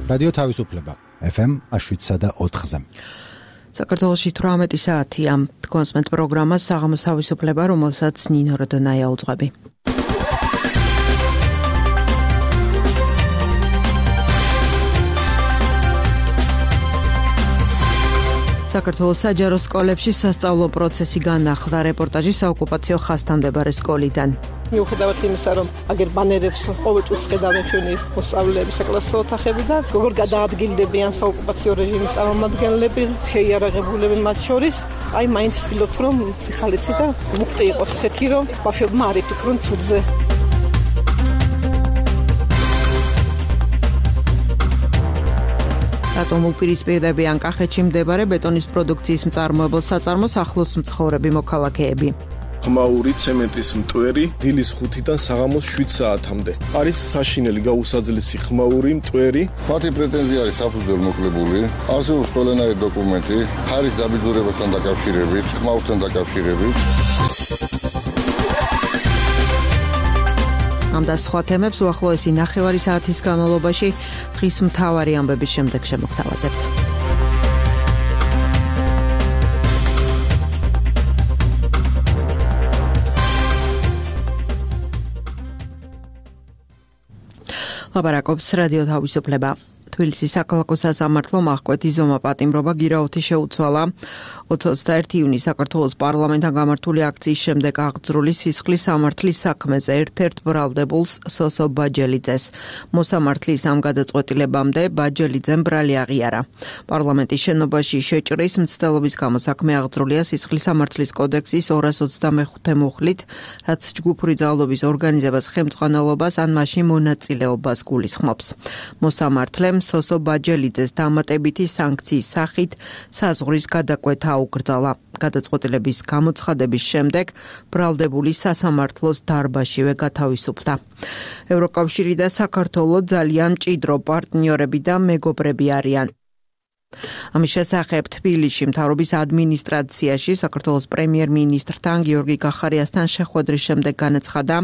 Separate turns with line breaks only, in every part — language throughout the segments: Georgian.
რადიო თავისუფლება FM 107.4-ზე.
საქართველოში 18 საათია. კონსმენტ პროგრამა საღამოს თავისუფლება, რომელსაც ნინო როდონაია უძღვები. საქართველოს საჯარო სკოლებში სასწავლო პროცესი განახლდა. რეპორტაჟი საოკუპაციო ხაზთან მდებარე სკოლიდან.
მიუხედავად იმისა, რომ აგერ ბანერებს ყოველ წუთს ხედავენ ჩვენი მოსწავლეები საკლასო ოთახები და როგორ გადაადგილდებიან საოკუპაციო რეჟიმის წარმომადგენლები, შეიარაღებულები მათ შორის, აი მაინც ვთქვით, რომ სიხალისი და მუხტი იყოს ისეთი, რომ ბავშვებმა არ იფიქრონ ცუდზე. რატომ უპირისპირდებიან კახეთში მდებარე ბეტონის პროდუქციის მწარმოებელ საწარმოს ახლოს მცხოვრები მოქალაქეები?
ხმაური ცემენტის მტვერი დილის 5-დან საღამოს 7 საათამდე. არის საშინელი გაუსაძლისი ხმაური მტვერი.
მათი პრეტენზია არის საფუძველ მოკლებული. არსებობს ყველანაირი დოკუმენტი, ხარის დაბიძურებასთან დაკავშირებით, ხმაურთან დაკავშირებით.
ამ და სხვა თემებს უახლოესი ნახევარი საათის განმავლობაში დღის მთავარი ამბების შემდეგ შემოგთავაზებთ. ლაპარაკობს რადიო თავისუფლება. თბილისის საქალაქო სასამართლომ აღკვეთი ზომა პატიმრობა გირაოთი შეუცვალა 21 იუნის საქართველოს პარლამენტთან გამართული აქციის შემდეგ აღძრული სისხლის სამართლის საქმეზე ერთ-ერთ ბრალდებულს სოსო ბაჯელიძეს. მოსამართლის ამ გადაწყვეტილებამდე ბაჯელიძემ ბრალი აღიარა. პარლამენტის შენობაში შეჭრის მცდელობის გამო საქმე აღძრულია სისხლის სამართლის კოდექსის 225 მუხლით, რაც ჯგუფური ძალადობის ორგანიზებას, ხელმძღვანელობას ან მასში მონაწილეობას გულისხმობს. მოსამართლემ სოსო ბაჯელიძეს დამატებითი სანქციის სახით საზღვრის გადაკვეთა აუკრძალა. გადაწყვეტილების გამოცხადების შემდეგ ბრალდებული სასამართლოს დარბაზშივე გათავისუფლდა. ევროკავშირი და საქართველო ძალიან მჭიდრო პარტნიორები და მეგობრები არიან. ამის შესახებ თბილისში მთავრობის ადმინისტრაციაში საქართველოს პრემიერ-მინისტრთან გიორგი გახარიასთან შეხვედრის შემდეგ განაცხადა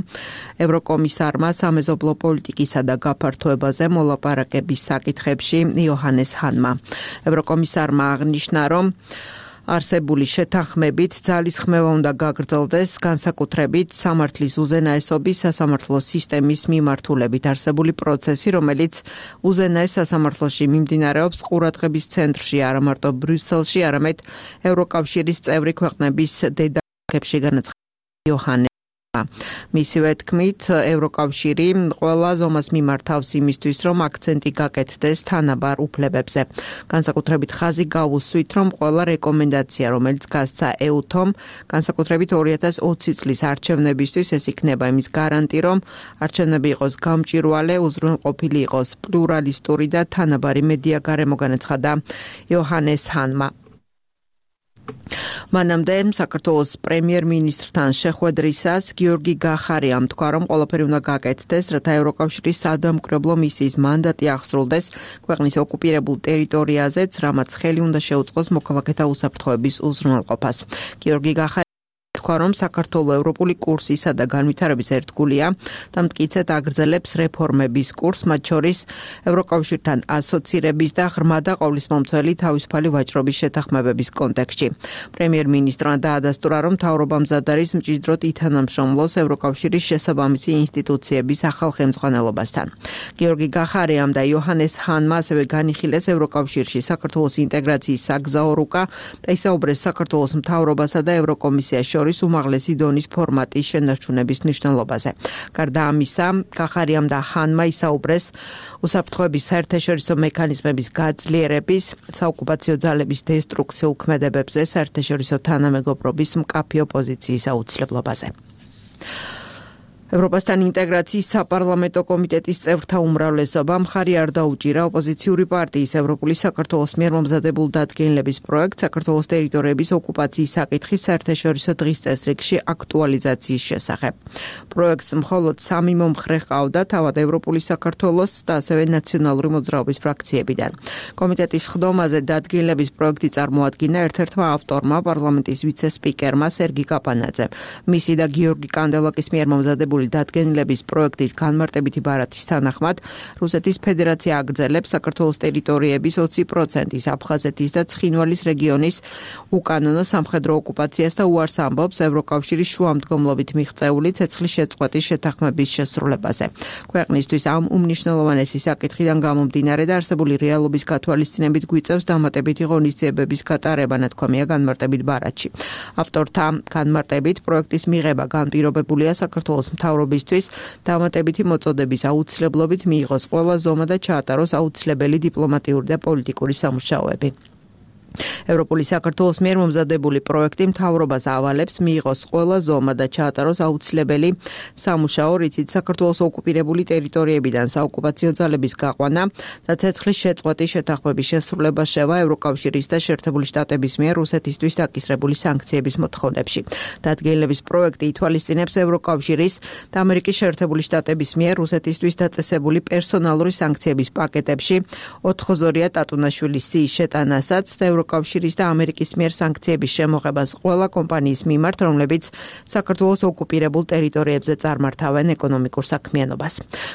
ევროკომისარმა სამეზობლო პოლიტიკისა და გაფართოებაზე მოლაპარაკების საკითხებში იოჰანეს ჰანმა. ევროკომისარმა აღნიშნა, რომ არსებული შეთანხმებით ძალისხმევა უნდა გაგრძელდეს განსაკუთრებით სამართლის უზენაესობის სასამართლო სისტემის მიმართულებით არსებული პროცესი, რომელიც უზენაეს სასამართლოში მიმდინარეობს ყურადღების ცენტრში არა მარტო ბრიუსელში, არამედ ევროკავშირის წევრი ქვეყნების დედაქალაქებში, განაცხადა იოჰანე. მისივე თქმით, ევროკავშირი ყველა ზომას მიმართავს იმისთვის, რომ აქცენტი გაკეთდეს თანაბარ უფლებებზე. განსაკუთრებით ხაზი გავუსვით, რომ ყველა რეკომენდაცია, რომელიც გასცა EUTOM, განსაკუთრებით 2020 წლის არჩევნებისთვის, ეს იქნება იმის გარანტი, რომ არჩევნები იყოს გამჭვირვალე, უზრუნველყოფილი იყოს პლურალისტური და თანაბარი მედია გარემო, განაცხადა იოჰანეს ჰანმა. მანამდე საქართველოს პრემიერ-მინისტრთან შეხვედრისას გიორგი გახარიამ თქვა, რომ ყველაფერი უნდა გაკეთდეს, რათა ევროკავშირის სადამკვირვებლო მისიის მანდატი აღსრულდეს ქვეყნის ოკუპირებულ ტერიტორიაზეც, რამაც ხელი უნდა შეუწყოს მოქალაქეთა უსაფრთხოების უზრუნველყოფას. გიორგი გახარიამ თქვა, რომ საქართველო ევროპული კურსისა და განვითარების ერთგულია და მტკიცედ აგრძელებს რეფორმების კურსს, მათ შორის ევროკავშირთან ასოცირების და ღრმა და ყოვლისმომცველი თავისუფალი ვაჭრობის შეთანხმებების კონტექსტში. პრემიერ-მინისტრმა დაადასტურა, რომ მთავრობა მზად არის მჭიდროდ ითანამშრომლოს ევროკავშირის შესაბამისი ინსტიტუციების ახალ ხელმძღვანელობასთან. გიორგი გახარიამ და იოჰანეს ჰანმა ასევე განიხილეს ევროკავშირში საქართველოს ინტეგრაციის საგზაო რუკა და ისაუბრეს საქართველოს მთავრობასა და ევროკომისიას შორის უმაღლესი დონის ფორმატის შენარჩუნების მნიშვნელობაზე. გარდა ამისა, გახარიამ და ჰანმა ისაუბრეს უსაფრთხოების საერთაშორისო მექანიზმების გაძლიერების, საოკუპაციო ძალების დესტრუქციულ ქმედებებზე, საერთაშორისო თანამეგობრობის მკაფიო პოზიციის აუცილებლობაზე. ევროპასთან ინტეგრაციის საპარლამენტო კომიტეტის წევრთა უმრავლესობა მხარი არ დაუჭირა ოპოზიციური პარტიის ევროპული საქართველოს მიერ მომზადებულ დადგენილების პროექტს საქართველოს ტერიტორიების ოკუპაციის საკითხის საერთაშორისო დღის წესრიგში აქტუალიზაციის შესახებ. პროექტს მხოლოდ 3 მომხრე ჰყავდა, თავად ევროპული საქართველოს და ასევე ნაციონალური მოძრაობის ფრაქციებიდან. კომიტეტის ხდომაზე დადგენილების პროექტი წარმოადგინა ერთ-ერთმა ავტორმა, პარლამენტის ვიცე-სპიკერმა სერგი კაპანაძემ. მისი და გიორგი კანდელაკის მიერ მომზადებული ინტეგრირებული დადგენილების პროექტის განმარტებითი ბარათის თანახმად რუსეთის ფედერაცია აგრძელებს საქართველოს ტერიტორიების 20%-ის აფხაზეთის და ცხინვალის რეგიონის უკანონო სამხედრო ოკუპაციას და უარს ამბობს ევროკავშირის შუამდგომლობით მიღწეული ცეცხლის შეწყვეტის შეთანხმების შესრულებაზე. ქვეყნისთვის ამ უმნიშვნელოვანესი საკითხიდან გამომდინარე და არსებული რეალობის გათვალისწინებით გვიწევს დამატებითი ღონისძიებების გატარება, ნათქვამია განმარტებით ბარათში. ავტორთა განმარტებით პროექტის მიღება განპირობებულია საქართველოს მთავრობისთვის დამატებითი მოწოდების აუცილებლობით მიიღოს ყველა ზომა და ჩაატაროს აუცილებელი დიპლომატიური და პოლიტიკური სამუშაოები. ევროპული საქართველოს მიერ მომზადებული პროექტი მთავრობას ავალებს მიიღოს ყველა ზომა და ჩაატაროს აუცილებელი სამუშაო, რითიც საქართველოს ოკუპირებული ტერიტორიებიდან საოკუპაციო ძალების გაყვანა და ცეცხლის შეწყვეტის შეთანხმების შესრულება შევა ევროკავშირის და შეერთებული შტატების მიერ რუსეთისთვის დაკისრებული სანქციების მოთხოვნებში. დადგენილების პროექტი ითვალისწინებს ევროკავშირის და ამერიკის შეერთებული შტატების მიერ რუსეთისთვის დაწესებული პერსონალური სანქციების პაკეტებში 4 ტატუნაშვილის სიის შეტანასაც და ევროკავშირის და ამერიკის მიერ სანქციების შემოღებას ყველა კომპანიის მიმართ, რომლებიც საქართველოს ოკუპირებულ ტერიტორიებზე წარმართავენ ეკონომიკურ საქმიანობას.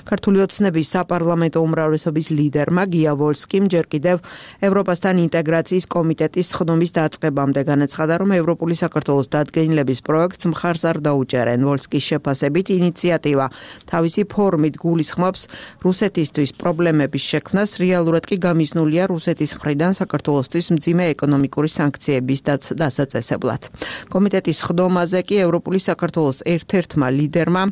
ქართული ოცნების საპარლამენტო უმრავლესობის ლიდერმა გია ვოლსკიმ ჯერ კიდევ ევროპასთან ინტეგრაციის კომიტეტის ხდომის დაწყებამდე განაცხადა, რომ ევროპული საქართველოს დადგენილების პროექტს მხარს არ დაუჭერენ. ვოლსკის შეფასებით ინიციატივა თავისი ფორმით გულისხმობს რუსეთისთვის პრობლემების შექმნას, რეალურად კი გამიზნულია რუსეთის მხრიდან საქართველოსთვის მძიმე ეკონომიკური სანქციების დასაწესებლად. კომიტეტის ხდომაზე კი ევროპული საქართველოს ერთ-ერთმა ლიდერმა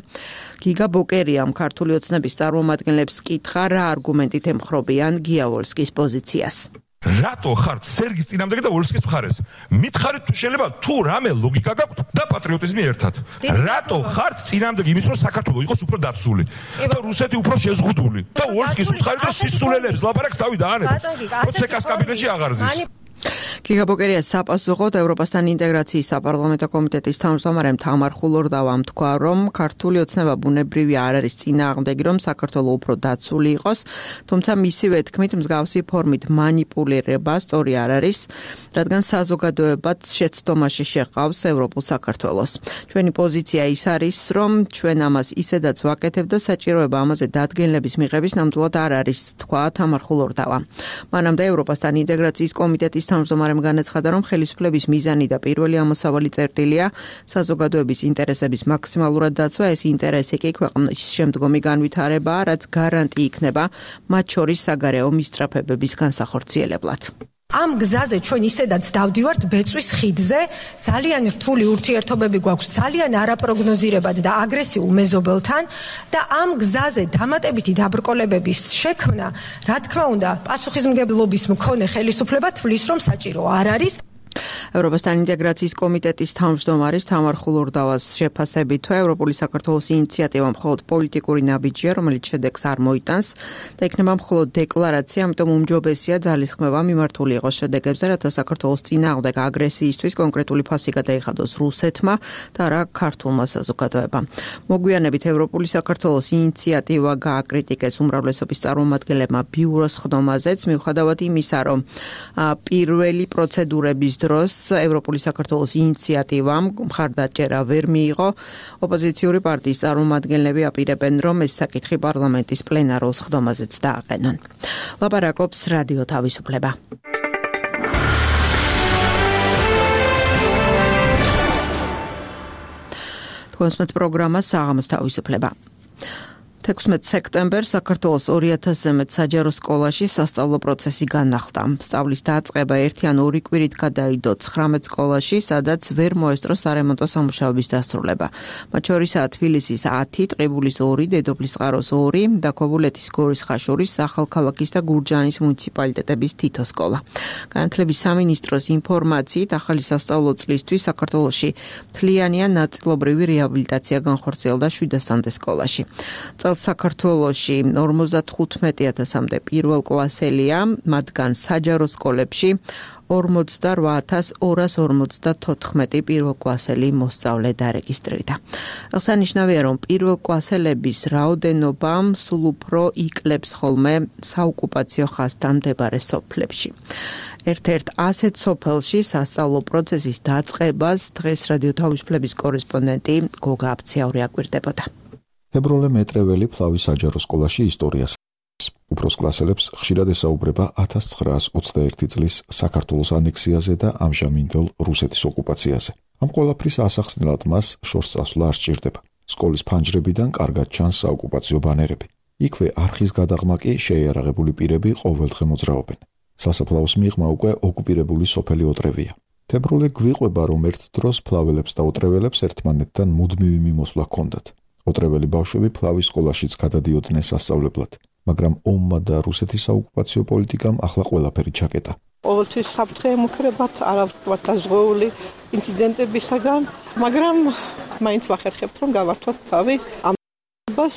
გიგა ბოკერიამ ქართული ოცნების წარმომადგენლებს კითხა, რა არგუმენტით ემხრობიან გია ვოლსკის პოზიციას.
რატო ხართ სერგის წინამდეგი და ვოლსკის მხარეს? მითხარით თუ შეიძლება თუ რამე ლოგიკა გაქვთ და პატრიოტიზმი ერთად. რატო ხართ წინამდეგი იმის რომ საქართველო იყოს უფრო დაცული და რუსეთი უფრო შეზღუდული და ვოლსკის მხარეს და სისულელებს ლაპარაკს თავი დაანებოს. პროცეკას კაბინეტში აღარ ზის.
გიგა ბოკერიას საპასუხოდ ევროპასთან ინტეგრაციის საპარლამენტო კომიტეტის თავმჯდომარემ თამარ ხულორდავამ თქვა, რომ ქართული ოცნება ბუნებრივი არ არის წინააღმდეგი, რომ საქართველო უფრო დაცული იყოს, თუმცა მისივე თქმით მსგავსი ფორმით მანიპულირება სწორი არ არის, რადგან საზოგადოებაც შეცდომაში შეყავს ევროპულ საქართველოს. ჩვენი პოზიცია ის არის, რომ ჩვენ ამას ისედაც ვაკეთებ და საჭიროება ამაზე დადგენილების მიღების ნამდვილად არ არის, თქვა თამარ ხულორდავა. მანამდე ევროპასთან ინტეგრაციის კომიტეტის თავმჯდომარემ განაცხადა, რომ ხელისუფლების მიზანი და პირველი ამოსავალი წერტილია საზოგადოების ინტერესების მაქსიმალურად დაცვა, ეს ინტერესი კი ქვეყნის შემდგომი განვითარებაა, რაც გარანტი იქნება მათ შორის საგარეო მისწრაფებების განსახორციელებლად.
ამ გზაზე ჩვენ ისედაც დავდივართ ბეწვის ხიდზე, ძალიან რთული ურთიერთობები გვაქვს, ძალიან არაპროგნოზირებად და აგრესიულ მეზობელთან და ამ გზაზე დამატებითი დაბრკოლებების შექმნა, რა თქმა უნდა, პასუხისმგებლობის მქონე ხელისუფლება თვლის, რომ საჭირო არ არის.
ევროპასთან ინტეგრაციის კომიტეტის თავმჯდომარის თამარ ხულორდავას შეფასებით, ევროპული საქართველოს ინიციატივა მხოლოდ პოლიტიკური ნაბიჯია, რომელიც შედეგს არ მოიტანს და იქნება მხოლოდ დეკლარაცია, ამიტომ უმჯობესია ძალისხმევა მიმართული იყოს შედეგებზე, რათა საქართველოს წინააღმდეგ აგრესიისთვის კონკრეტული ფასი გადაიხადოს რუსეთმა და არა ქართულმა საზოგადოებამ. მოგვიანებით ევროპული საქართველოს ინიციატივა გააკრიტიკეს უმრავლესობის წარმომადგენლებმა ბიუროს ხდომაზეც, მიუხედავად იმისა, რომ პირველი პროცედურების დროს ევროპული საქართველოს ინიციატივამ მხარდაჭერა ვერ მიიღო. ოპოზიციური პარტიის წარმომადგენლები აპირებენ, რომ ეს საკითხი პარლამენტის პლენარულ ხდომაზეც დააყენონ. ლაპარაკობს რადიო თავისუფლება. თქვენს პროგრამა საღამოს თავისუფლება. 16 სექტემბერს საქართველოს 2000-ზე მეტ საჯარო სკოლაში სასწავლო პროცესი განახლდა. სწავლის დაწყება 1 ან 2 კვირით გადაიდო 19 სკოლაში, სადაც ვერ მოესწრო სარემონტო სამუშაოების დასრულება. მათ შორისაა თბილისის 10, ტყიბულის 2, დედოფლისწყაროს 2 და ქობულეთის გორის ხაშურის, ახალქალაქის და გურჯაანის მუნიციპალიტეტების თითო სკოლა. განათლების სამინისტროს ინფორმაციით, ახალი სასწავლო წლისთვის საქართველოში მთლიანია ნაწილობრივი რეაბილიტაცია განხორციელდა 700-მდე სკოლაში. საქართველოში 55,000-მდე პირველ კლასელია, მათგან საჯარო სკოლებში 48,254 პირველ კლასელი მოსწავლე დარეგისტრირდა. აღსანიშნავია, რომ პირველ კლასელების რაოდენობა სულ უფრო იკლებს ხოლმე საოკუპაციო ხაზთან მდებარე სოფლებში. ერთ-ერთ ასეთ სოფელში სასწავლო პროცესის დაწყებას დღეს რადიო თავისუფლების კორესპონდენტი გოგა აფციაური აკვირდებოდა.
თებროლე მეტრეველი ფლავის საჯარო სკოლაში ისტორიას უფროს კლასელებს ხშირად ესაუბრება 1921 წლის საქართველოს ანექსიაზე და ამჟამინდელ რუსეთის ოკუპაციაზე. ამ ყველაფრის ასახსნელად მას შორს წასვლა არ სჭირდება. სკოლის ფანჯრებიდან კარგად ჩანს საოკუპაციო ბანერები. იქვე არხის გადაღმა კი შეიარაღებული პირები ყოველდღე მოძრაობენ. სასაფლაოს მიღმა უკვე ოკუპირებული სოფელი ოტრევია. თებროლე გვიყვება, რომ ერთ დროს ფლაველებს და ოტრეველებს ერთმანეთთან მუდმივი მიმოსვლა ჰქონდათ. ოტრეველი ბავშვები ფლავის სკოლაშიც გადადიოდნენ სასწავლებლად, მაგრამ ომმა და რუსეთის საოკუპაციო პოლიტიკამ ახლა ყველაფერი ჩაკეტა.
ყოველთვის საფრთხე ემუქრებათ, არავითარ დაზღვეული ინციდენტებისაგან, მაგრამ მაინც ვახერხებთ, რომ გავართვათ თავი ამ და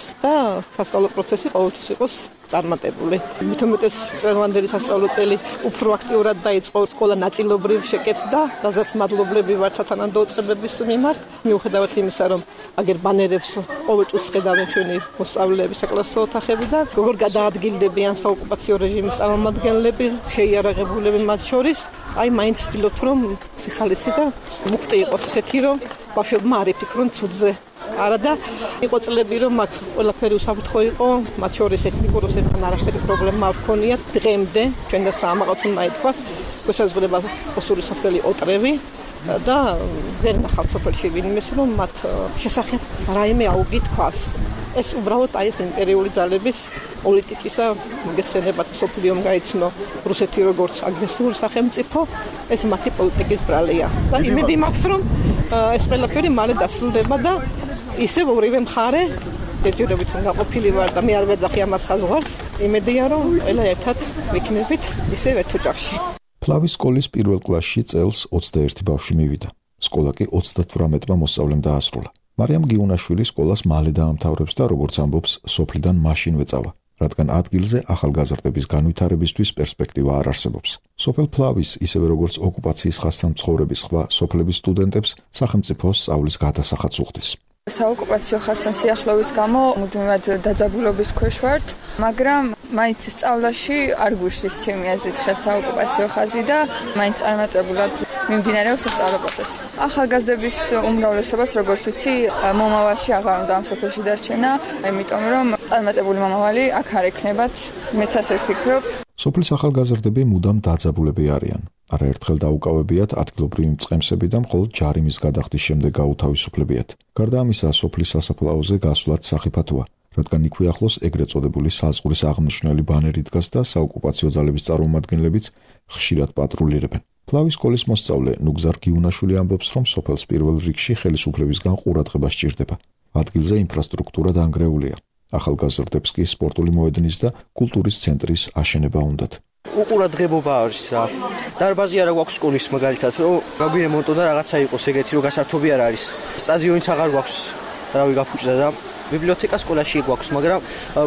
სასწავლო პროცესი ყოველთვის იყოს წარმატებული. მithumetes წლევანდელი სასწავლო წელი უფრო აქტიურად დაიწყო, სკოლა ნაწილობრივ შეკეთდა, რაზეც მადლობლები ვართ სათანადო უწყებების მიმართ. მიუხედავად იმისა, რომ აგერ ბანერებს ყოველ წუთს ხედავენ ჩვენი მოსწავლეები საკლასო ოთახებიდან, როგორ გადაადგილდებიან საოკუპაციო რეჟიმის წარმომადგენლები, შეიარაღებულები მათ შორის, აი მაინც ვთქვით, რომ სიხალისი და მუხტი იყოს ისეთი, რომ ბავშვებმა არ იფიქრონ ცუდზე. არა და იყო წლები, რომ აქ ყველაფერი უსაფრთხო იყო, მათ შორის ეთნიკურ რუსეთთან არაფერი პრობლემა არ ჰქონიათ. დღემდე ჩვენ და საამაყოთ უნდა ითქვას, შესაძლოა ოსური სოფელი ოტრევი და ვერ ნახავთ სოფელში ვინმეს, რომ მათ შესახებ რაიმე აუგითქვას. ეს უბრალოდ აი ეს იმპერიული ძალების პოლიტიკისა მოგეხსენებათ, სოფლიომ გაიცნო რუსეთი როგორც აგრესიული სახელმწიფო, ეს მათი პოლიტიკის ბრალია. და იმედი მაქვს, რომ ეს ყველაფერი მალე დასრულდება და ისევ ორივე მხარე ერთჯერობით გაყოფილი ვარ და მე არ ვეძახი ამას საზღვარს. იმედია, რომ ყველა ერთად ვიქნებით ისევ ერთ ოჯახში.
ფლავის სკოლის პირველ კლასში წელს 21 ბავშვი მივიდა. სკოლა კი 38-მა მოსწავლემ დაასრულა. მარიამ გიუნაშვილი სკოლას მალე დაამთავრებს და როგორც ამბობს, სოფლიდან მაშინვე წავა, რადგან ადგილზე ახალგაზრდების განვითარებისთვის პერსპექტივა არ არსებობს. სოფელ ფლავის, ისევე როგორც ოკუპაციის ხაზთან მცხოვრების სხვა სოფლების სტუდენტებს სახელმწიფო სწავლის გადასახადს უხდის.
საოკუპაციო ხაზთან სიახლოვის გამო მუდმივად დაძაბულობის ქვეშ ვართ, მაგრამ მაინც სწავლაში არ გვიშლის ჩემი აზრით ხა საოკუპაციო ხაზი და მაინც წარმატებულად მიმდინარეობს სასწავლო პროცესი. ახალგაზრდების უმრავლესობას, როგორც ვიცი, მომავალში აღარ უნდა ამ სოფელში დარჩენა, იმიტომ რომ წარმატებული მომავალი აქ არ ექნებათ, მეც ასე ვფიქრობ.
სოფლის ახალგაზრდები მუდამ დაძაბულები არიან. არაერთხელ დაუკავებიათ ადგილობრივი მწყემსები და მხოლოდ ჯარიმის გადახდის შემდეგ გაუთავისუფლებიათ. გარდა ამისა, სოფლის სასაფლაოზე გასვლაც სახიფათოა, რადგან იქვე ახლოს ეგრეთ წოდებული საზღვრის აღმნიშვნელი ბანერი დგას და საოკუპაციო ძალების წარმომადგენლებიც ხშირად პატრულირებენ. ფლავის სკოლის მოსწავლე ნუგზარ გიუნაშვილი ამბობს, რომ სოფელს პირველ რიგში ხელისუფლებისგან ყურადღება სჭირდება. ადგილზე ინფრასტრუქტურა დანგრეულია. ახალგაზრდებს კი სპორტული მოედნის და კულტურის ცენტრის აშენება უნდათ.
უყურადღებობა არის რა. დარბაზი არა გვაქვს სკოლის მაგალითად, რომ გაგვირემონტო და რაღაცა იყოს ეგეთი, რომ გასართობი არ არის. სტადიონიც აღარ გვაქვს, რავი გაფუჭდა და ბიბლიოთეკა სკოლაში გვაქვს, მაგრამ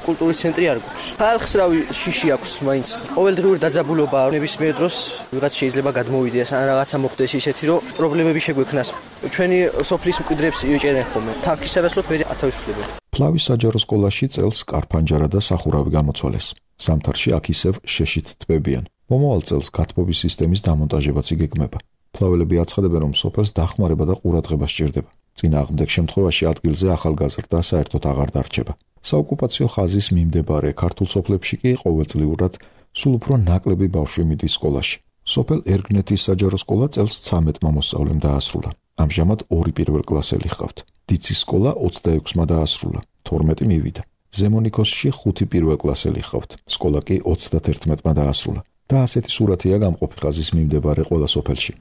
კულტურის ცენტრი არ გვაქვს. ხალხს რავი შიში აქვს მაინც. ყოველდღიური დაძაბულობა ნებისმიერ დროს ვიღაც შეიძლება გადმოვიდეს, ან რაღაცა მოხდეს ისეთი, რომ პრობლემები შეგვექნას. ჩვენი სოფლის მკვიდრებს იჭერენ ხოლმე. თანხის სანაცვლოდ მე ათავისუფლებენ.
ფლავის საჯარო სკოლაში წელს კარფანჯარა და სახურავი გამოცვალეს. ზამთარში აქ ისევ შეშით თბებიან. მომავალ წელს გათბობის სისტემის დამონტაჟებაც იგეგმება. ფლაველები აცხადებენ, რომ სოფელს დახმარება და ყურადღება სჭირდება. წინააღმდეგ შემთხვევაში ადგილზე ახალგაზრდა საერთოდ აღარ დარჩება. საოკუპაციო ხაზის მიმდებარე ქართულ სოფლებში კი ყოველწლიურად სულ უფრო ნაკლები ბავშვი მიდის სკოლაში. სოფელ ერგნეთის საჯარო სკოლა წელს 13-მა მოსწავლემ დაასრულა. ამჟამად 2 პირველ კლასელი ჰყავთ. დიცის სკოლა 26-მა დაასრულა, 12 მივიდა. ზემონიქოსში 5 პირველ კლასელი ჰყავთ. სკოლა კი 31-მა დაასრულა. და ასეთი სურათია გამყოფი ხაზის მიმდებარე ყველა სოფელში.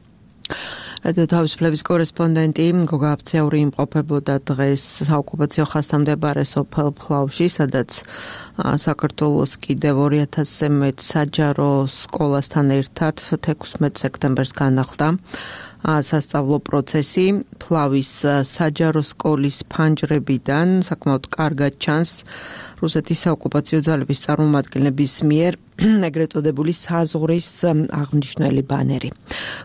რადიო თავისუფლების კორესპონდენტი გოგა აფციური იმყოფებოდა დღეს საოკუპაციო ხაზთან მდებარე სოფელ ფლავში, სადაც საქართველოს კიდევ 2000-ზე მეტ საჯარო სკოლასთან ერთად 16 სექტემბერს განახლდა სასწავლო პროცესი. ფლავის საჯარო სკოლის ფანჯრებიდან საკმაოდ კარგად ჩანს რუსეთის საოკუპაციო ძალების წარმომადგენლების მიერ ეგრეთ წოდებული საზღვრის აღმნიშვნელი ბანერი.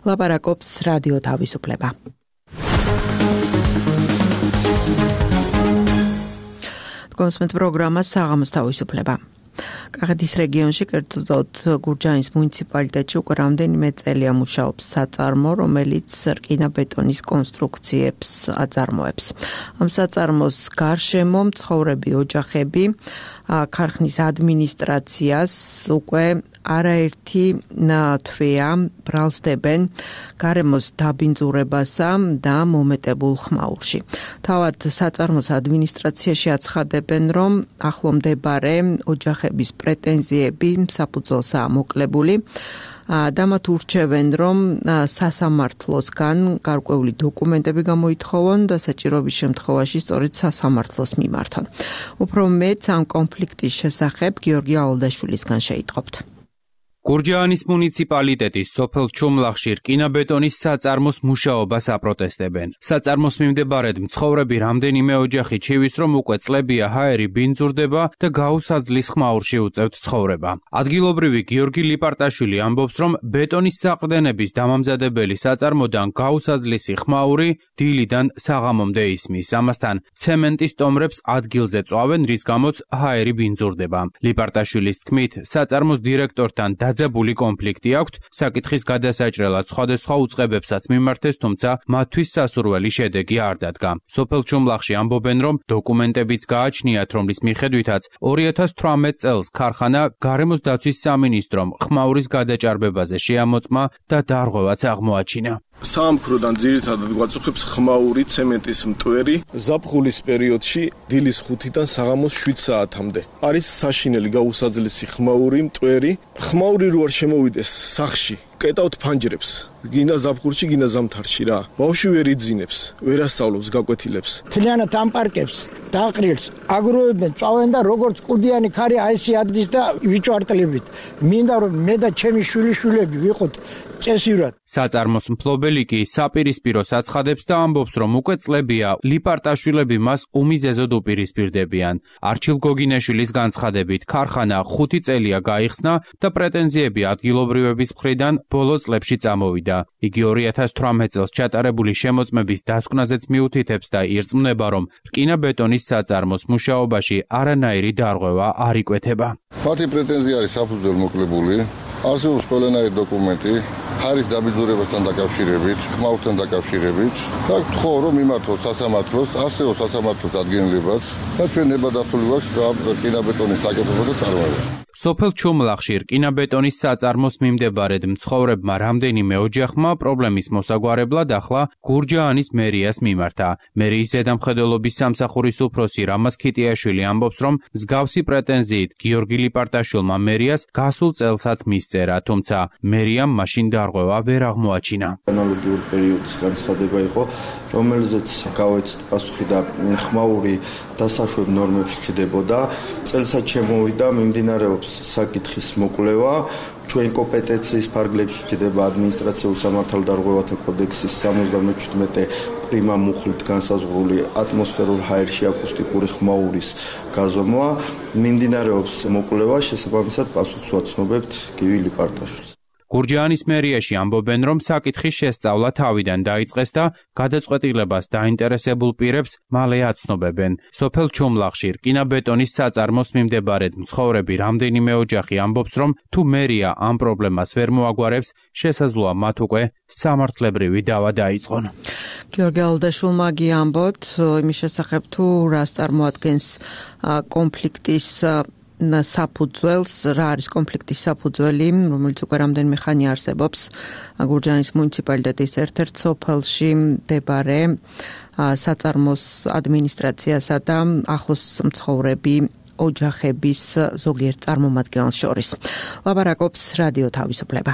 ლაპარაკობს რადიო თავისუფლება. გონსმენთ პროგრამა საღამოს თავისუფლება. კახეთის რეგიონში, კერძოდ გურჯაანის მუნიციპალიტეტში უკვე რამდენიმე წელია მუშაობს საწარმო, რომელიც რკინა-ბეტონის კონსტრუქციებს აწარმოებს. ამ საწარმოს გარშემო მცხოვრები ოჯახები ქარხნის ადმინისტრაციას უკვე არაერთი თვეა ბრალსდებენ გარემოს დაბინძურებასა და მომეტებულ ხმაურში. თავად საწარმოს ადმინისტრაციაში აცხადებენ, რომ ახლომდებარე ოჯახების პრეტენზიები საფუძველსაა მოკლებული და მათ ურჩევენ, რომ სასამართლოსგან გარკვეული დოკუმენტები გამოითხოვონ და საჭიროების შემთხვევაში სწორედ სასამართლოს მიმართონ. უფრო მეც ამ კონფლიქტის შესახებ გიორგი ავალდაშვილისგან შეიტყობთ.
გურჯაანის მუნიციპალიტეტის სოფელ ჩუმლახში რკინა-ბეტონის საწარმოს მუშაობას აპროტესტებენ. საწარმოს მიმდებარედ მცხოვრები რამდენიმე ოჯახი ჩივის, რომ უკვე წლებია ჰაერი ბინძურდება და გაუსაძლის ხმაურში უწევთ ცხოვრება. ადგილობრივი გიორგი ლიპარტაშვილი ამბობს, რომ ბეტონის საყრდენების დამამზადებელი საწარმოდან გაუსაძლისი ხმაური დილიდან საღამომდე ისმის. ამასთან ცემენტის ტომრებს ადგილზე წვავენ, რის გამოც ჰაერი ბინძურდება. ლიპარტაშვილის თქმით, საწარმოს დირექტორთან დაძაბული კონფლიქტი აქვთ, საკითხის გადასაჭრელად სხვადასხვა უწყებებსაც მიმართეს, თუმცა მათთვის სასურველი შედეგი არ დადგა. სოფელ ჩუმლახში ამბობენ, რომ დოკუმენტებიც გააჩნიათ, რომლის მიხედვითაც 2018 წელს ქარხანა გარემოს დაცვის სამინისტრომ ხმაურის გადაჭარბებაზე შეამოწმა და დარღვევაც აღმოაჩინა.
საამქროდან ძირითადად გვაწუხებს ხმაური, ცემენტის მტვერი, ზაფხულის პერიოდში დილის 5-დან საღამოს 7 საათამდე. არის საშინელი გაუსაძლესი ხმაური, მტვერი. ხმაური რო არ შემოვიდეს სახში, კეტავთ ფანჯრებს. გინდა ზაფხულში, გინდა ზამთარში რა. ბავშვი ვერ იძინებს, ვერ ასწავლობს, გაკვეთილებს.
თლიანად ამ პარკებს დაყრილს აგროვებენ, წავენ და როგორც კუდიანი ქარი აისი ადის და ვიჭვარტლებით. მინდა რომ მე და ჩემი შვილიშვილები ვიყოთ წესივრად.
საწარმოს მფლობელი კი საპირისპირო საცხადებს და ამბობს, რომ უკვე წლებია ლიპარტაშვილები მას უმიზეზოდ უპირისპირდებიან. არჩილ გოგინაშვილის განცხადებით, ქარხანა 5 წელია გაიხსნა და პრეტენზიები ადგილობრივების მხრიდან ბოლო წლებში წამოვიდა. იგი 2018 წელს ჩატარებული შემოწმების დასკვნაზეც მიუთითებს და ირწმუნება, რომ რკინა-ბეტონის საწარმოს მუშაობაში არანაირი დარღვევა არ იკვეთება.
მათი პრეტენზია არის საფუძველ მოკლებული. არსებობს ყველანაირი დოკუმენტი ჰაერის დაბინძურებასთან დაკავშირებით, ხმაურთან დაკავშირებით და გთხოვ, რომ მიმართოთ სასამართლოს, არსებობს სასამართლოს ადგენილებაც და ჩვენ ნებადართული გვაქვს რკინა-ბეტონის დაკეთება და წარმოება.
სოფელ ჩუმლახში რკინა-ბეტონის საწარმოს მიმდებარედ მცხოვრებმა რამდენიმე ოჯახმა პრობლემის მოსაგვარებლად ახლა გურჯაანის მერიას მიმართა. მერიის ზედამხედველობის სამსახურის უფროსი რამაზ ქიტიაშვილი ამბობს, რომ მსგავსი პრეტენზიით გიორგი ლიპარტაშვილმა მერიას გასულ წელსაც მისწერა, თუმცა მერიამ მაშინ დარღვევა ვერ აღმოაჩინა.
ანალოგიური პერიოდის განცხადება იყო, რომელზეც გავეცდ პასუხი და ხმაური დასაშვებ ნორმებში ჩდებოდა. წელსაც შემოვიდა, მიმდინარეობს საკითხის მოკვლევა. ჩვენ კომპეტენციის ფარგლებში ჩდება ადმინისტრაციულ სამართალდარღვევათა კოდექსის 77 პრიმა მუხლით განსაზღვრული ატმოსფერულ ჰაერში აკუსტიკური ხმაურის გაზომვა. მიმდინარეობს მოკვლევა, შესაბამისად პასუხს ვაცნობებთ გივი ლიპარტაშვილს.
გურჯაანის მერიაში ამბობენ, რომ საკითხის შესწავლა თავიდან დაიწყეს და გადაწყვეტილებას დაინტერესებულ პირებს მალე აცნობებენ. სოფელ ჩუმლახში რკინა-ბეტონის საწარმოს მიმდებარედ მცხოვრები რამდენიმე ოჯახი ამბობს, რომ თუ მერია ამ პრობლემას ვერ მოაგვარებს, შესაძლოა მათ უკვე სამართლებრივი დავა დაიწყონ.
გიორგი ავალდაშვილმა ამბობთ იმის შესახებ, თუ რას წარმოადგენს კონფლიქტის საფუძველს, რა არის კონფლიქტის საფუძველი, რომელიც უკვე რამდენიმე ხანი არსებობს გურჯაანის მუნიციპალიტეტის ერთ-ერთ სოფელში მდებარე საწარმოს ადმინისტრაციასა და ახლოს მცხოვრები ოჯახების ზოგიერთ წარმომადგენელს შორის. ლაპარაკობს რადიო თავისუფლება.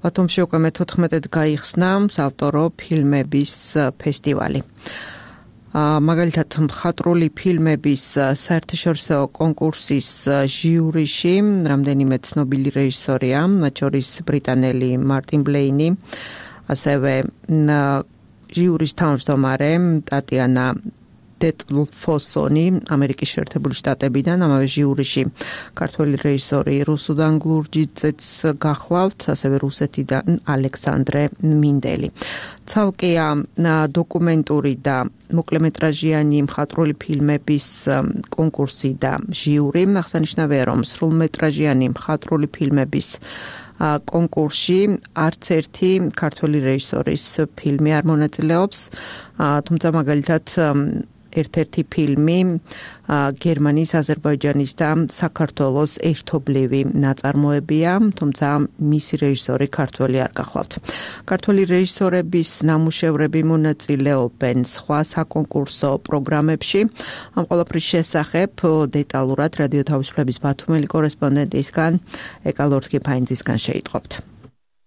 ბათუმში უკვე მე-14-ად გაიხსნა საავტორო ფილმების ფესტივალი. მაგალითად მხატვრული ფილმების საერთაშორისო კონკურსის ჟიურიში რამდენიმე ცნობილი რეჟისორია, მათ შორის ბრიტანელი მარტინ ბლეინი, ასევე ჟიურის თავმჯდომარე ტატიანა დეტლფოსონი ამერიკის შეერთებული შტატებიდან, ამავე ჟიურიში ქართველი რეჟისორი რუსუდან გლურჯიძეც გახლავთ, ასევე რუსეთიდან ალექსანდრე მინდელი. ცალკეა დოკუმენტური და მოკლემეტრაჟიანი მხატვრული ფილმების კონკურსი და ჟიური. აღსანიშნავია, რომ სრულმეტრაჟიანი მხატვრული ფილმების კონკურსში არც ერთი ქართველი რეჟისორის ფილმი არ მონაწილეობს, თუმცა მაგალითად ერთ-ერთი ფილმი გერმანიის, აზერბაიჯანის და საქართველოს ერთობლივი ნაწარმოებია, თუმცა მისი რეჟისორი ქართველი არ გახლავთ. ქართველი რეჟისორების ნამუშევრები მონაწილეობენ სხვა საკონკურსო პროგრამებში. ამ ყველაფრის შესახებ დეტალურად რადიო თავისუფლების ბათუმელი კორესპონდენტისგან ეკალორთკიფაინძისგან შეიტყობთ.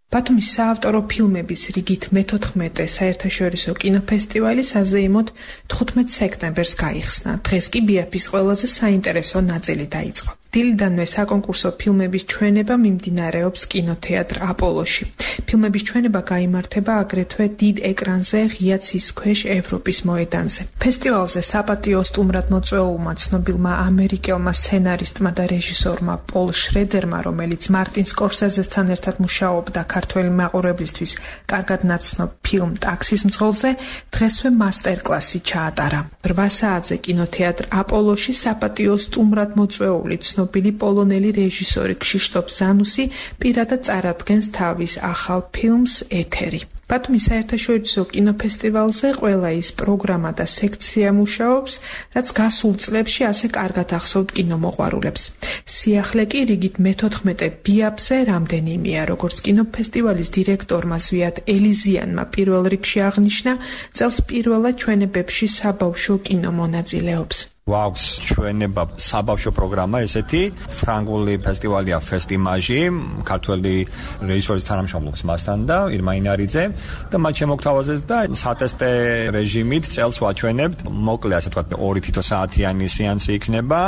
ბათუმის საავტორო ფილმების რიგით მე-14 საერთაშორისო კინოფესტივალი საზეიმოდ 15 სექტემბერს გაიხსნა. დღეს კი ბიაფის ყველაზე საინტერესო ნაწილი დაიწყო. დილიდანვე საკონკურსო ფილმების ჩვენება მიმდინარეობს კინოთეატრ აპოლოში. ფილმების ჩვენება გაიმართება აგრეთვე დიდ ეკრანზე ღია ცის ქვეშ ევროპის მოედანზე. ფესტივალზე საპატიო სტუმრად მოწვეულმა ცნობილმა ამერიკელმა სცენარისტმა და რეჟისორმა პოლ შრედერმა, რომელიც მარტინ სკორსეზესთან ერთად მუშაობდა ქართველი მაყურებლისთვის კარგად ნაცნობ ფილმ ტაქსის მძღოლზე, დღესვე მასტერკლასი ჩაატარა. 8 საათზე კინოთეატრ აპოლოში საპატიო სტუმრად მოწვეული ცნობილი პოლონელი რეჟისორი ქშიშტოფ ზანუსი პირადად წარადგენს თავის ახალ ფილმს ეთერი. ბათუმის საერთაშორისო კინოფესტივალზე ყველა ის პროგრამა და სექცია მუშაობს, რაც გასულ წლებში ასე კარგად ახსოვთ კინომოყვარულებს. სიახლე კი რიგით მე-14 ბიაფზე რამდენიმეა, როგორც კინოფესტივალის დირექტორმა ზვიად ელიზიანმა პირველ რიგში აღნიშნა, წელს პირველად ჩვენებებში საბავშვო კინო მონაწილეობს.
გვაქვს ჩვენება საბავშვო პროგრამა ესეთი, ფრანგული ფესტივალია ფესტიმაჟი, ქართველი რეჟისორის თანამშრომლობს მასთან და ირმა ინარიძე და მათ შემოგთავაზეს და სატესტე რეჟიმით წელს ვაჩვენებთ. მოკლე ასე ვთქვათ 2 თითო საათიანი სეანსი იქნება,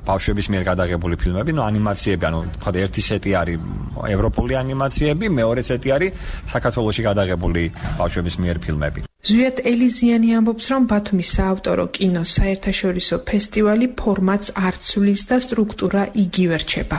ბავშვების მიერ გადაღებული ფილმები, ანიმაციები, ვთქვათ ერთი სეტი არის ევროპული ანიმაციები, მეორე სეტი არის საქართველოში გადაღებული ბავშვების მიერ ფილმები.
ზვიად ელიზიანი ამბობს, რომ ბათუმის საავტორო კინოს საერთაშორისო ფესტივალი ფორმატს არ ცვლის და სტრუქტურა იგივე რჩება.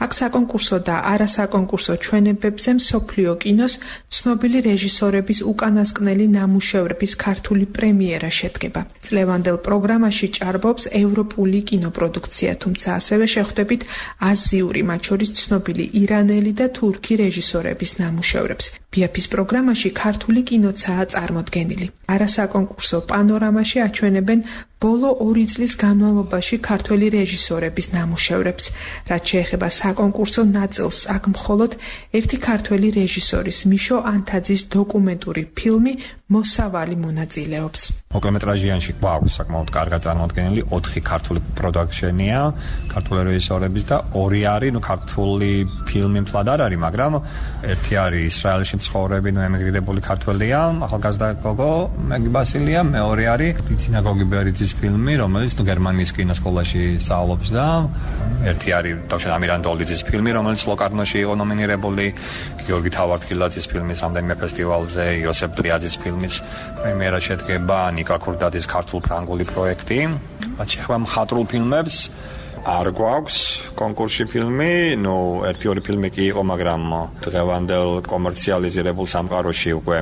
აქ საკონკურსო და არასაკონკურსო ჩვენებებზე მსოფლიო კინოს ცნობილი რეჟისორების უკანასკნელი ნამუშევრების ქართული პრემიერა შედგება. წლევანდელ პროგრამაში ჭარბობს ევროპული კინოპროდუქცია, თუმცა ასევე შეხვდებით აზიური, მათ შორის ცნობილი ირანელი და თურქი რეჟისორების ნამუშევრებს. ბიაფის პროგრამაში ქართული კინოცაა წარმოდგენილი. არასაკონკურსო პანორამაში აჩვენებენ ბოლო 2 წლის განმავლობაში ქართველი რეჟისორების ნამუშევრებს. რაც შეეხება საკონკურსო ნაწილს, აქ მხოლოდ ერთი ქართველი რეჟისორის მიშო ანთაძის დოკუმენტური ფილმი მოსავალი მონაწილეობს.
მოკლემეტრაჟიანში გვაქვს საკმაოდ კარგად წარმოდგენილი 4 ქართული პროდუქშენია, ქართული რეჟისორების და 2 არის ქართული ფილმი მთლად არ არის, მაგრამ ერთი არის ისრაელში მცხოვრები ემიგრირებული ქართველია, ახალგაზრდა გოგო მეგი ბასილია, მეორე არის ტიცინა გოგიბერიძის ფილმი, რომელიც გერმანიის კინოსკოლაში სწავლობს და ერთი არის დავშენ ამირანდოლიძის ფილმი, რომელიც ლოკარნოში იყო ნომინირებული, გიორგი თავართქილაძის ფილმის რამდენიმე ფესტივალზე, იოსებ პლიაძის ფილმის პრემიერა შედგება, ნიკა ქურდაძის ქართულ-ფრანგული პროექტი. რაც შეეხება მხატვრულ ფილმებს, არ გვაქვს კონკურსში ფილმი, ერთი-ორი ფილმი კი იყო, მაგრამ დღევანდელ კომერციალიზირებულ სამყაროში უკვე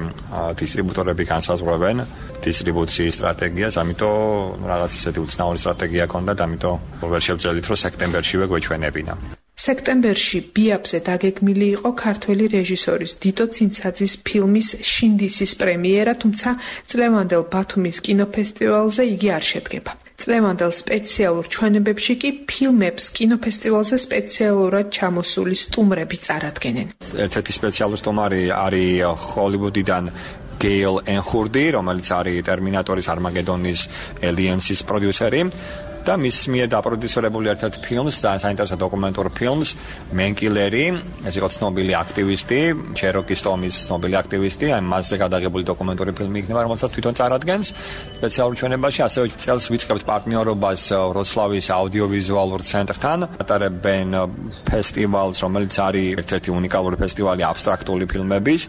დისტრიბუტორები განსაზღვრავენ დისტრიბუციის სტრატეგიას, ამიტომ რაღაც ისეთი უცნაური სტრატეგია ჰქონდათ, ამიტომ ვერ შევძელით, რომ სექტემბერშივე გვეჩვენებინა.
სექტემბერში ბიაფზე დაგეგმილი იყო ქართველი რეჟისორის დიტო ცინცაძის ფილმის შინდისის პრემიერა, თუმცა წლევანდელ ბათუმის კინოფესტივალზე იგი არ შედგება. წლევანდელ სპეციალურ ჩვენებებში კი ფილმებს კინოფესტივალზე სპეციალურად ჩამოსული სტუმრები წარადგენენ.
ერთ-ერთი სპეციალური სტუმარი არის ჰოლივუდიდან გეილ ენხურდი, რომელიც არის ტერმინატორის, არმაგედონის, ელიენსის პროდიუსერი. და მის მიერ დაპროდიუსერებული ერთ-ერთი ფილმს, ძალიან საინტერესო დოკუმენტურ ფილმს, მენკილერი, ეს იყო ცნობილი აქტივისტი, ჩეროკის ტომის ცნობილი აქტივისტი, აი მასზე გადაღებული დოკუმენტური ფილმი იქნება, რომელსაც თვითონ წარადგენს სპეციალურ ჩვენებაში, ასევე წელს ვიწყებთ პარტნიორობას ვროცლავის აუდიოვიზუალურ ცენტრთან, ატარებენ ფესტივალს, რომელიც არის ერთ-ერთი უნიკალური ფესტივალი აბსტრაქტული ფილმების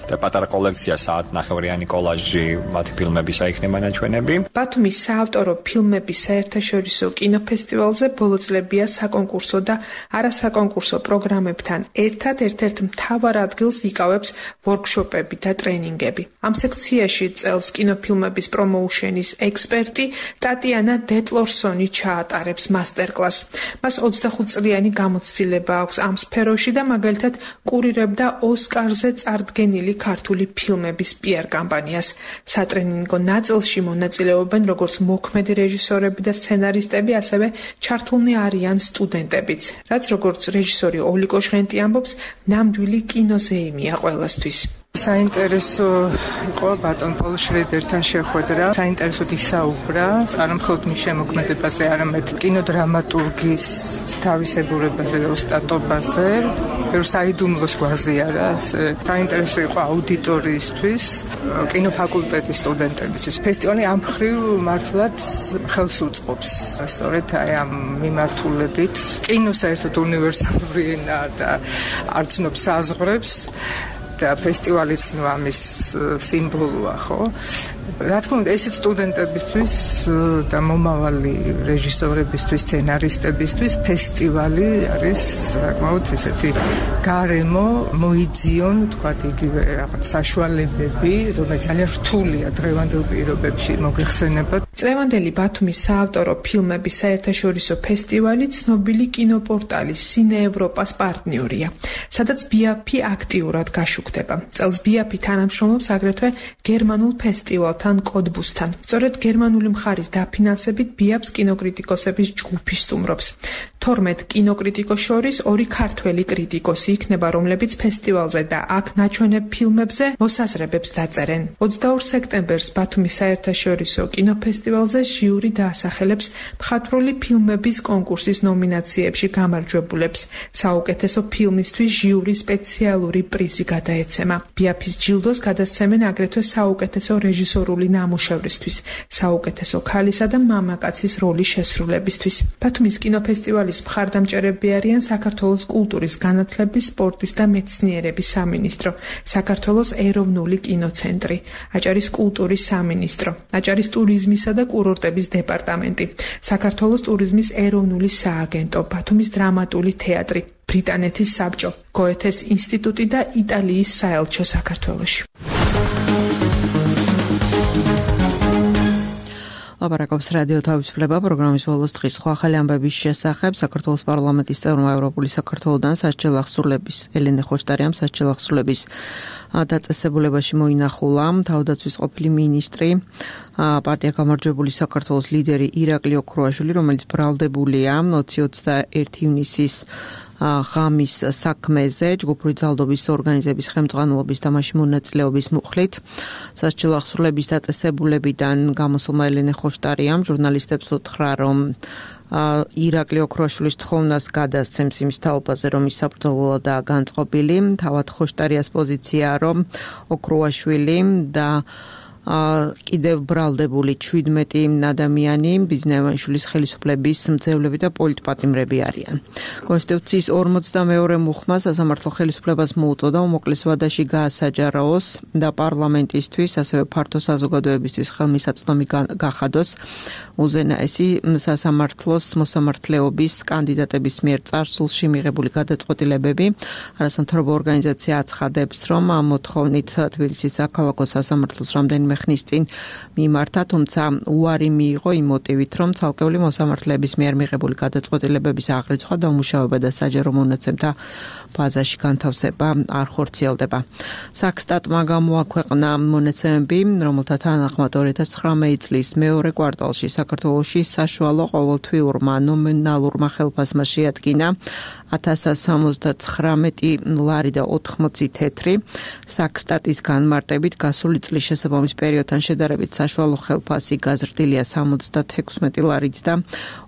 და პატარა კოლექცია საათნახევრიანი კოლაჟი მათი ფილმებისა იქნება ნაჩვენები.
ბათუმის საავტორო ფილმების საერთაშორისო კინოფესტივალზე ბოლო წლებია საკონკურსო და არასაკონკურსო პროგრამებთან ერთად ერთ-ერთ მთავარ ადგილს იკავებს ვორქშოპები და ტრენინგები. ამ სექციაში წელს კინოფილმების პრომოუშენის ექსპერტი ტატიანა დეტლორსონი ჩაატარებს მასტერკლასს. მას 25 წლიანი გამოცდილება აქვს ამ სფეროში და მაგალითად კურირებდა ოსკარზე წარდგენილი ქართული ფილმების PR კამპანიას. სატრენინგო ნაწილში მონაწილეობენ როგორც მოქმედი რეჟისორები და სცენარისტები, ასევე ჩართულნი არიან სტუდენტებიც, რაც როგორც რეჟისორი ოლიკო ჟღენტი ამბობს, ნამდვილი კინოზეიმია ყველასთვის.
საინტერესო იყო ბატონ პოლ შრედერთან შეხვედრა. საინტერესოდ ისაუბრა არა მხოლოდ მის შემოქმედებაზე, არამედ კინოდრამატურგის თავისებურებაზე და ოსტატობაზე. საიდუმლოს გვაზიარა. საინტერესო იყო აუდიტორიისთვის, კინოფაკულტეტის სტუდენტებისთვის. ფესტივალი ამ მხრივ მართლაც ხელს უწყობს. სწორედ აი ამ მიმართულებით კინო საერთოდ უნივერსალური ენაა და არ ცნობს საზღვრებს. და ფესტივალიც ამის სიმბოლოა, ხო? რა თქმა უნდა, ესეც სტუდენტებისთვის და მომავალი რეჟისორებისთვის, სცენარისტებისთვის ფესტივალი არის საკმაოდ ესეთი გარემო, მოიძიონ, თქვათ, იგივე რაღაც საშუალებები, რომელიც ძალიან რთულია დღევანდელ პირობებში მოგეხსენებათ.
წლევანდელი ბათუმის საავტორო ფილმების საერთაშორისო ფესტივალი ცნობილი კინოპორტალი სინე ევროპას პარტნიორია, სადაც BAP აქტიურად გაშუქდება. წელს BAP თანამშრომლობს აგრეთვე გერმანულ ფესტივალთან კოდბუსთან. სწორედ გერმანული მხარის დაფინანსებით BAP-ს კინოკრიტიკოსების ჯგუფი სტუმრობს. 12 კინოკრიტიკოს შორის 2 ქართველი კრიტიკოსი იქნება, რომლებიც ფესტივალზე და აქ ნაჩვენებ ფილმებზე მოსაზრებებს დაწერენ. 22 სექტემბერს ბათუმის საერთაშორისო კინოფესტივალზე ჟიური დაასახელებს მხატვრული ფილმების კონკურსის ნომინაციებში გამარჯვებულებს. საუკეთესო ფილმისთვის ჟიურის სპეციალური პრიზი გადაეცემა. BAP-ის ჯილდოს გადასცემენ აგრეთვე საუკეთესო რეჟისორული ნამუშევრისთვის, საუკეთესო ქალისა და მამაკაცის როლის შესრულებისთვის. ბათუმის კინოფესტივალის მხარდამჭერები არიან საქართველოს კულტურის განათლების, სპორტის და მეცნიერების სამინისტრო, საქართველოს ეროვნული კინოცენტრი, აჭარის კულტურის სამინისტრო, აჭარის ტურიზმისა და კურორტების დეპარტამენტი, საქართველოს ტურიზმის ეროვნული სააგენტო, ბათუმის დრამატული თეატრი, ბრიტანეთის საბჭო, გოეთეს ინსტიტუტი და იტალიის საელჩო საქართველოში.
ლაპარაკობს რადიო თავისუფლება პროგრამის ბოლოს დღის სხვა ახალი ამბების შესახებ. საქართველოს პარლამენტის წევრმა ევროპული საქართველოდან სასჯელ ახსრულების ელენე ხოშტარიამ სასჯელ ახსრულების დაწესებულებაში მოინახულა თავდაცვის ყოფილი მინისტრი, პარტია გამარჯვებული საქართველოს ლიდერი ირაკლი ოქრუაშვილი, რომელიც ბრალდებულია 2021 ივნისის ღამის საქმეზე ჯგუფური ძალადობის ორგანიზების ხელმძღვანელობის და მასში მონაწილეობის მუხლით. სასჯელ ახსრულების დაწესებულებიდან გამოსულმა ელენე ხოშტარიამ ჟურნალისტებს უთხრა, რომ ირაკლი ოქრუაშვილის თხოვნას გადასცემს იმის თაობაზე, რომ ის საბრძოლოა განწყობილი. თავად ხოშტარიას პოზიციაა, რომ ოქრუაშვილი და კიდევ ბრალდებული 17 ადამიანი ბიზნესმენშვილის ხელისუფლების მძევლები და პოლიტპატიმრები არიან. კონსტიტუციის 42 მუხმა სასამართლო ხელისუფლებას მოუწოდა უმოკლეს ვადაში გაასაჯარაოს და პარლამენტისთვის, ასევე ფართო საზოგადოებისთვის ხელმისაწვდომი გახადოს უზენაესი სასამართლოს მოსამართლეობის კანდიდატების მიერ წარსულში მიღებული გადაწყვეტილებები. არასამთავრობო ორგანიზაცია აცხადებს, რომ ამ მოთხოვნით თბილისის საქალაქო სასამართლოს რამდენიმე ხნის წინ მიმართა, თუმცა უარი მიიღო იმ მოტივით, რომ ცალკეული მოსამართლეების მიერ მიღებული გადაწყვეტილებების აღრიცხვა, დამუშავება და საჯარო მონაცემთა ბაზაში განთავსება არ ხორციელდება. საქსტატმა გამოაქვეყნა მონაცემები, რომელთა თანახმად 2019 წლის მეორე კვარტალში საქართველოში საშუალო ყოველთვიურმა ნომინალურმა ხელფასმა შეადგინა 1079 ლარი და 80 თეთრი. საქსტატის განმარტებით გასული წლის შესაბამის პერიოდთან შედარებით საშუალო ხელფასი გაზრდილია 76 ლარით და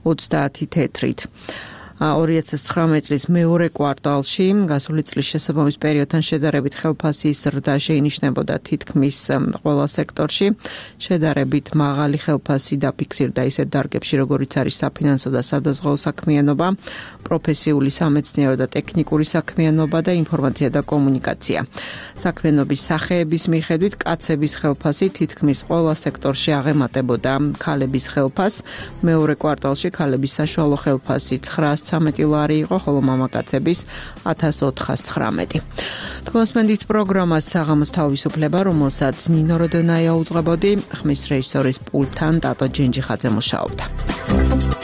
30 თეთრით. 2019 წლის მეორე კვარტალში გასული წლის შესაბამის პერიოდთან შედარებით ხელფასის ზრდა შეინიშნებოდა თითქმის ყველა სექტორში. შედარებით მაღალი ხელფასი დაფიქსირდა ისეთ დარგებში, როგორიც არის საფინანსო და სადაზღვეო საქმიანობა, პროფესიული სამეცნიერო და ტექნიკური საქმიანობა და ინფორმაცია და კომუნიკაცია. საქმიანობის სახეების მიხედვით კაცების ხელფასი თითქმის ყველა სექტორში აღემატებოდა ქალების ხელფასს. მეორე კვარტალში ქალების საშუალო ხელფასი 913 ლარი იყო, ხოლო მამაკაცების 1419. თქვენსმენდით პროგრამას საღამოს თავისუფლება, რომელსაც ნინო როდონაია უძღვებოდი, ხმის რეჟისორის პულტთან ტატო ჯენჯიხაძე მუშაობდა.